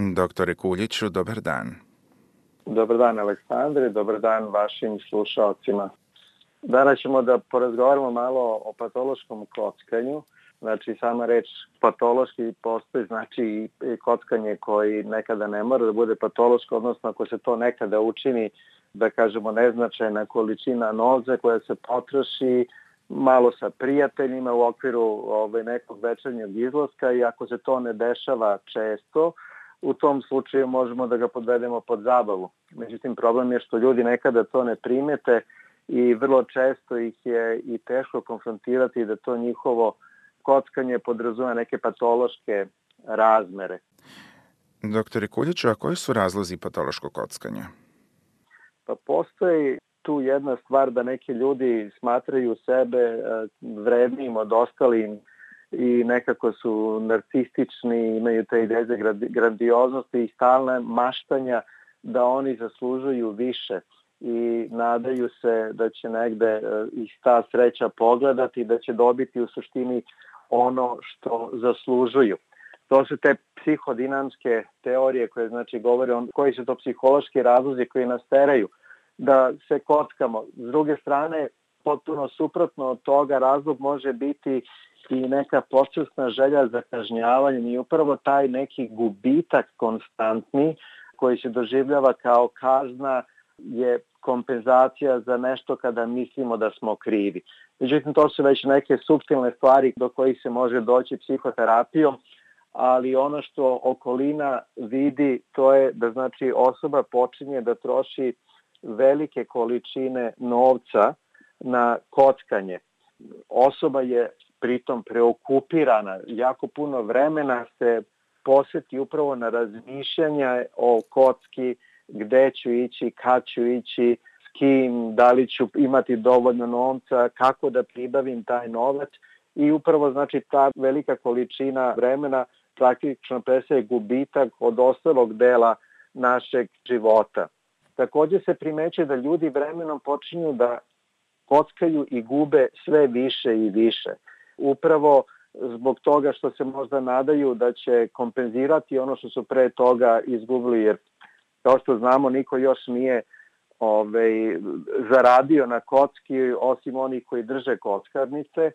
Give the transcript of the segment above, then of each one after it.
Doktore Kuljiću, dobar dan. Dobar dan, Aleksandre, dobar dan vašim slušalcima. Danas ćemo da porazgovaramo malo o patološkom kockanju. Znači, sama reč patološki postoji, znači i kockanje koji nekada ne mora da bude patološko, odnosno ako se to nekada učini, da kažemo, neznačajna količina novca koja se potroši malo sa prijateljima u okviru nekog večernjeg izlaska, i ako se to ne dešava često, u tom slučaju možemo da ga podvedemo pod zabavu. Međutim, problem je što ljudi nekada to ne primete i vrlo često ih je i teško konfrontirati da to njihovo kockanje podrazumeva neke patološke razmere. Doktore Kuljiću, a koji su razlozi patološkog kockanja? Pa postoji tu jedna stvar da neki ljudi smatraju sebe vrednijim od ostalih i nekako su narcistični, imaju te ideje za grandioznosti i stalne maštanja da oni zaslužuju više i nadaju se da će negde ih ta sreća pogledati i da će dobiti u suštini ono što zaslužuju. To su te psihodinamske teorije koje znači govore o koji su to psihološki razlozi koji nas teraju da se kockamo. S druge strane, potpuno suprotno od toga, razlog može biti i neka podsvesna želja za kažnjavanjem i upravo taj neki gubitak konstantni koji se doživljava kao kazna je kompenzacija za nešto kada mislimo da smo krivi. Međutim, to su već neke suptilne stvari do kojih se može doći psihoterapijom, ali ono što okolina vidi, to je da znači osoba počinje da troši velike količine novca na kockanje. Osoba je pritom preokupirana, jako puno vremena se posveti upravo na razmišljanja o kocki, gde ću ići, kad ću ići, s kim, da li ću imati dovoljno novca, kako da pribavim taj novac i upravo znači ta velika količina vremena praktično predstavlja gubitak od ostalog dela našeg života. Takođe se primećuje da ljudi vremenom počinju da kockaju i gube sve više i više. Upravo zbog toga što se možda nadaju da će kompenzirati ono što su pre toga izgubili, jer kao što znamo niko još nije zaradio na kocki osim onih koji drže kockarnice,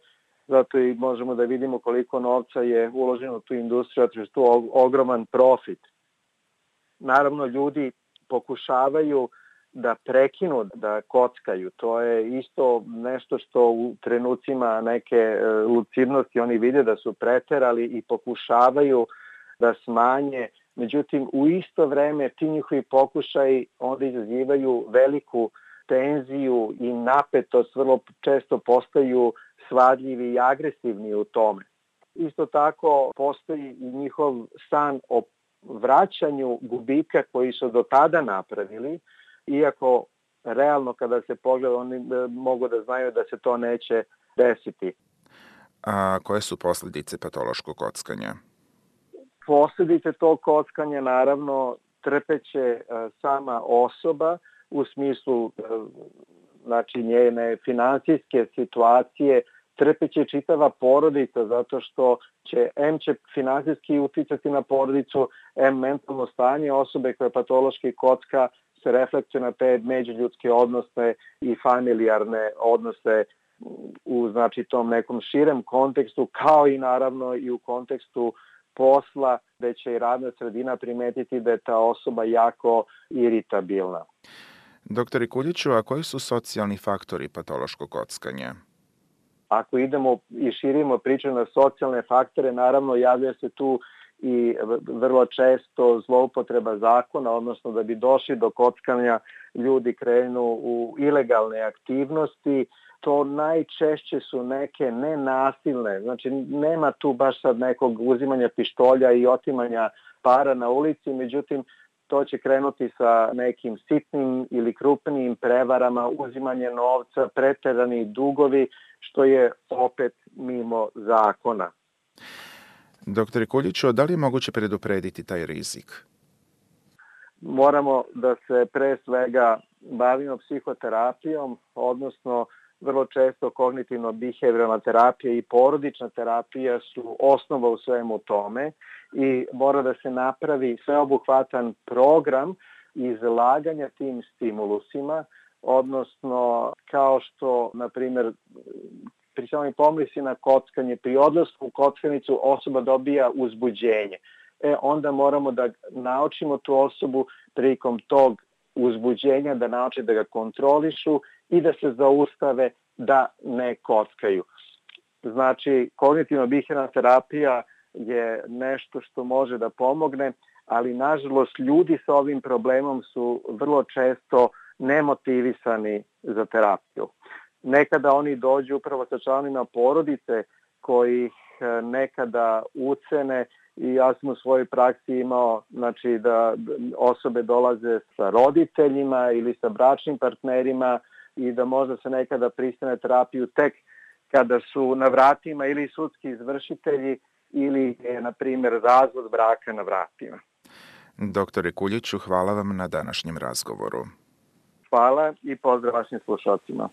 zato i možemo da vidimo koliko novca je uloženo u tu industriju, zato što je ogroman profit. Naravno, ljudi pokušavaju da prekinu da kockaju. To je isto nešto što u trenucima neke lucidnosti oni vide da su preterali i pokušavaju da smanje. Međutim, u isto vreme ti njihovi pokušaji onda izazivaju veliku tenziju i napetost, vrlo često postaju svadljivi i agresivni u tome. Isto tako postoji i njihov san o vraćanju gubitka koji su do tada napravili, iako realno kada se pogleda oni mogu da znaju da se to neće desiti. A koje su posljedice patološkog kockanja? Posljedice tog kockanja naravno trpeće sama osoba u smislu znači njene finansijske situacije, trpeće čitava porodica zato što će finansijski uticati na porodicu, mentalno stanje osobe koja patološki kocka se reflektuje na te međuljudske odnose i familijarne odnose u znači tom nekom širem kontekstu, kao i naravno i u kontekstu posla, gde će i radna sredina primetiti da je ta osoba jako iritabilna. Doktore Kuljiću, a koji su socijalni faktori patološkog kockanja? Ako idemo i širimo priču na socijalne faktore, naravno javlja se tu i vrlo često zloupotreba zakona, odnosno da bi došli do kockanja ljudi krenu u ilegalne aktivnosti. To najčešće su neke nenasilne, znači nema tu baš sad nekog uzimanja pištolja i otimanja para na ulici, međutim to će krenuti sa nekim sitnim ili krupnim prevarama, uzimanje novca, preterani dugovi, što je opet mimo zakona. Doktore Kuljiću, da li je moguće preduprediti taj rizik? Moramo da se pre svega bavimo psihoterapijom, odnosno vrlo često kognitivno-behavioralna terapija i porodična terapija su osnova u svemu tome i mora da se napravi sveobuhvatan program izlaganja tim stimulusima, odnosno kao što, na primjer, pri samoj pomisli na kockanje, pri odlasku u kockanicu osoba dobija uzbuđenje. Onda moramo da naučimo tu osobu prilikom tog uzbuđenja, da nauče da ga kontrolišu i da se zaustave da ne kockaju. Znači, kognitivno-bihevalna terapija je nešto što može da pomogne, ali nažalost ljudi sa ovim problemom su vrlo često nemotivisani za terapiju. Nekada oni dođu upravo sa članovima porodice koji ih nekada ucene i ja sam u svojoj praksi imao da osobe dolaze sa roditeljima ili sa bračnim partnerima i da možda se nekada pristane terapiju tek kada su na vratima ili sudski izvršitelji ili je, na primjer, razvod braka na vratima. Doktore Kuljiću, hvala vam na današnjem razgovoru. Hvala i pozdrav vašim slušalcima.